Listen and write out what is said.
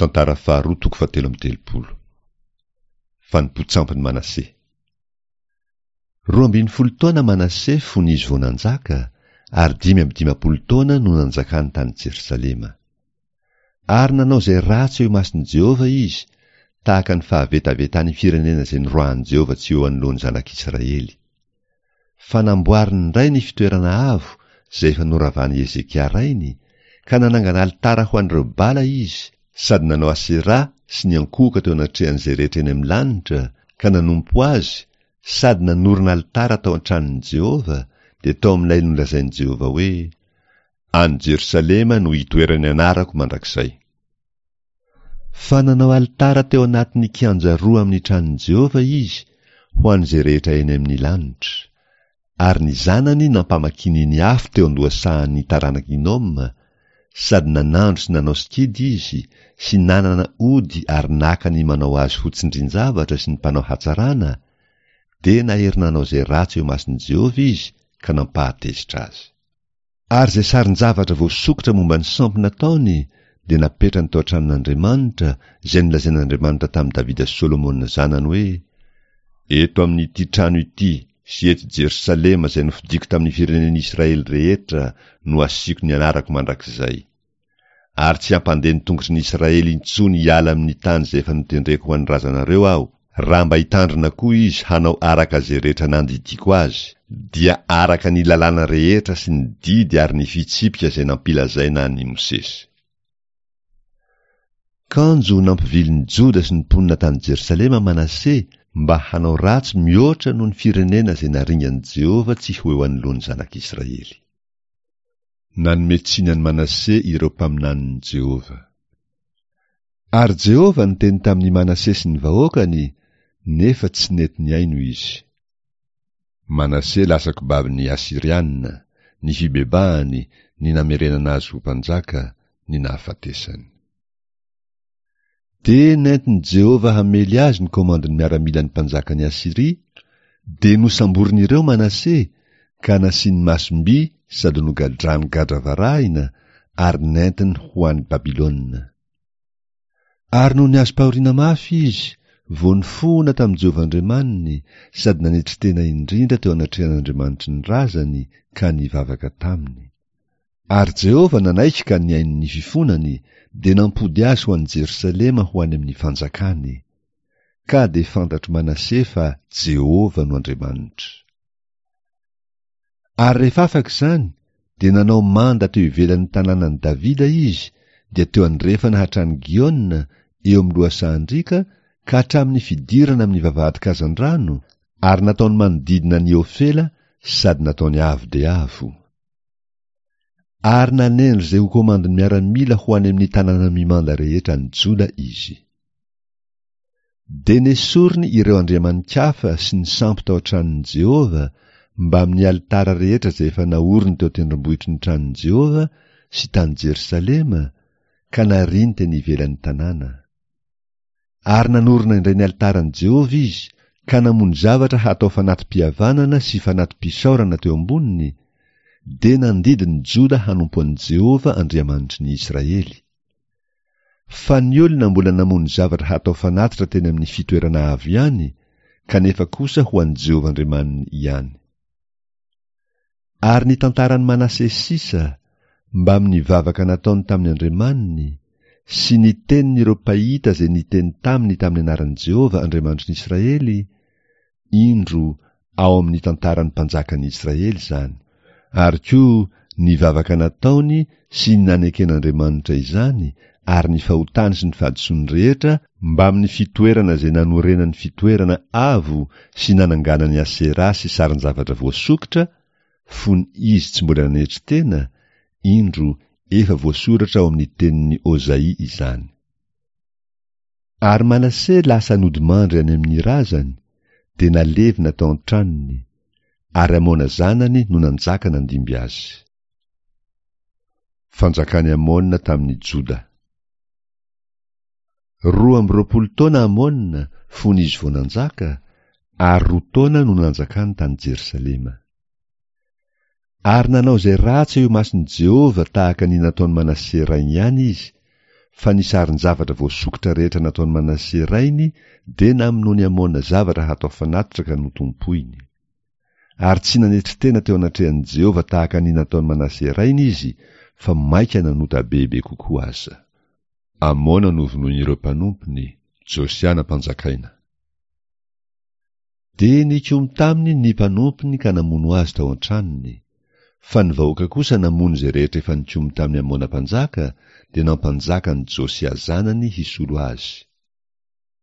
Tantara faharoa toko fahatelo amby telopolo. Fanompoan-tsampin'i Manase. 12 taona Manase fony izy vao nanjaka, ary 55 taona no nanjakany tany Jerosalema. Ary nanao izay ratsy eo imason'i Jehovah izy, tahaka ny fahavetavetan'ny firenena izay noroahin'i Jehovah tsy eo anoloan'ny zanak'Israely. Fa namboariny indray ny fitoerana avo izay efa noravan'i Hezekia rainy, ka nanangana alitara ho an'ireo Bala izy, sady nanao Aseraha sy niankohoka teo anatrehan'izay rehetra eny amin'ny lanitra, ka nanompo azy, sady nanorina alitara tao an-tranon'i Jehovah, dia tao amin'ilay nolazain'i Jehovah hoe, Any Jerosalema no hitoeran'ny anarako mandrakizay. Fa nanao alitara teo anatin'ny kianja roa amin'ny tranon'i Jehovah izy ho an'izay rehetra eny amin'ny lanitra. Ary ny zanany nampamakiny ny afo teo an-dohasahan'ny taranak'i Hinoma, sady nanandro sy nanao sikidy izy, sy nanana ody ary naka ny manao azy ho tsindrin-javatra sy ny mpanao hatsarana, dia nahery nanao izay ratsy eo imason'i Jehovah izy ka nampahatezitra azy. Ary izay sarin-javatra voasokitra momba ny sampy nataony dia napetrany tao an-tranon'Andriamanitra, izay nolazain'Andriamanitra tamin'i Davida sy Solomona zanany hoe, Eto amin'ity trano ity sy eto Jerosalema izay nofidiko tamin'ny firenen'Israely rehetra no hasiako ny anarako mandrakizay. Ary tsy hampandeha ny tongotry ny Israely intsony hiala amin'ny tany izay efa notendreko ho an'ny razanareo Aho, raha mba hitandrina koa izy hanao araka izay rehetra nandidiako azy, dia araka ny lalàna rehetra sy ny didy ary ny fitsipika izay nampilazaina an'i Mosesy. Kanjo nampivily ny Joda sy ny mponina tany Jerosalema Manase mba hanao ratsy mihoatra noho ny firenena izay naringan'i Jehovah tsy ho eo anoloan'ny zanak'Israely. Nanome tsiny an'i Manase ireo mpaminanin'i Jehovah. Ary Jehovah niteny tamin'i Manase sy ny vahoakany, nefa tsy nety nihaino izy. Manase lasa kobabin'ny Asyriana, ny fibebahany, ny namerenana azy ho mpanjaka, ny nahafatesany. Dia nentin'i Jehovah hamely azy ny komandin'ny miaramilan'ny mpanjakan'i Asyria, dia nosamborin'ireo Manase, ka nasiany masom-by sady nogadrany gadra varahina, ary nentiny ho any Babylona. Ary nony azom-pahoriana mafy izy, vao nifohona tamin'i Jehovah Andriamaniny, sady nanetry tena indrindra teo anatrehan'Andriamanitry ny razany, ka nivavaka taminy. Ary Jehovah nanaiky ka nihaino ny fifonany, dia nampody azy ho any Jerosalema ho any amin'ny fanjakany. Ka dia fantatr'i Manase fa Jehovah no Andriamanitra. Ary rehefa afaka izany, dia nanao manda teo ivelan'ny tanànan'i Davida izy, dia teo andrefana hatrany Giona, eo amin'ny lohasahan-driaka, ka hatramin'ny fidirana amin'ny vavahadin-kazandrano, ary nataony manodidina an'i Ofela sady nataony avo dia avo. Ary nanendry izay ho komandin'ny miaramila ho any amin'ny tanàna mimanda rehetra any Joda izy. Dia nesoriny ireo andriamani-kafa sy ny sampy tao an-tranon'i Jehovah, mbamin'ny alitara rehetra izay efa naoriny teo an-tendrombohitry ny tranon'i Jehovah sy tany Jerosalema, ka nariany teny ivelan'ny tanàna. Ary nanorina indray ny alitaran'i Jehovah izy, ka namono zavatra hatao fanati-pihavanana sy fanati-pisaorana teo amboniny, dia nandidy ny Joda hanompo an'i Jehovah Andriamanitry ny Israely. Fa ny olona mbola namono zavatra hatao fanatitra teny amin'ny fitoerana avo ihany, kanefa kosa ho an'i Jehovah Andriamaniny ihany. Ary ny tantaran'i Manase sisa, mbamin'ny vavaka nataony tamin'ny Andriamaniny, sy ny tenin'ireo mpahita izay niteny taminy tamin'ny anaran'i Jehovah Andriamanitry ny Israely, indro, ao amin'ny tantaran'ny mpanjakan'ny Israely izany. Ary koa ny vavaka nataony sy ny naneken'Andriamanitra izany ary ny fahotany sy ny fahadisoany rehetra mbamin'ny fitoerana izay nanorenany fitoerana avo sy nananganany Aseraha sy sarin-javatra voasokitra, fony izy tsy mbola nanetry tena, indro, efa voasoratra ao amin'ny tenin'i Ozaia izany. Ary Manase lasa nodimandry any amin'ny razany, dia nalevina tao an-tranony, ary Amona zanany no nanjaka nandimby azy. Fanjakan'i Amona tamin'i Joda. 22 taona Amona fony izy vao nanjaka, ary roa taona no nanjakany tany Jerosalema. Ary nanao izay ratsy eo imason'i Jehovah tahaka ny nataon'i Manase rainy ihany izy, Fa ny sarin-javatra voasokitra rehetra nataon'i Manase rainy dia namonoan'i Amona zavatra hatao fanatitra ka notompoiny. Ary tsy nanetry tena teo anatrehan'i Jehovah tahaka ny nataon'i Manase rainy izy, fa mainka nanota bebe kokoa aza. Amona novonoin'ireo mpanompony, Josia nampanjakaina. Dia nikomy taminy ny mpanompony ka namono azy tao an-tranony. Fa ny vahoaka kosa namono izay rehetra efa nikomy tamin'i Amona mpanjaka, dia nampanjaka an'i Josia zanany hisolo azy.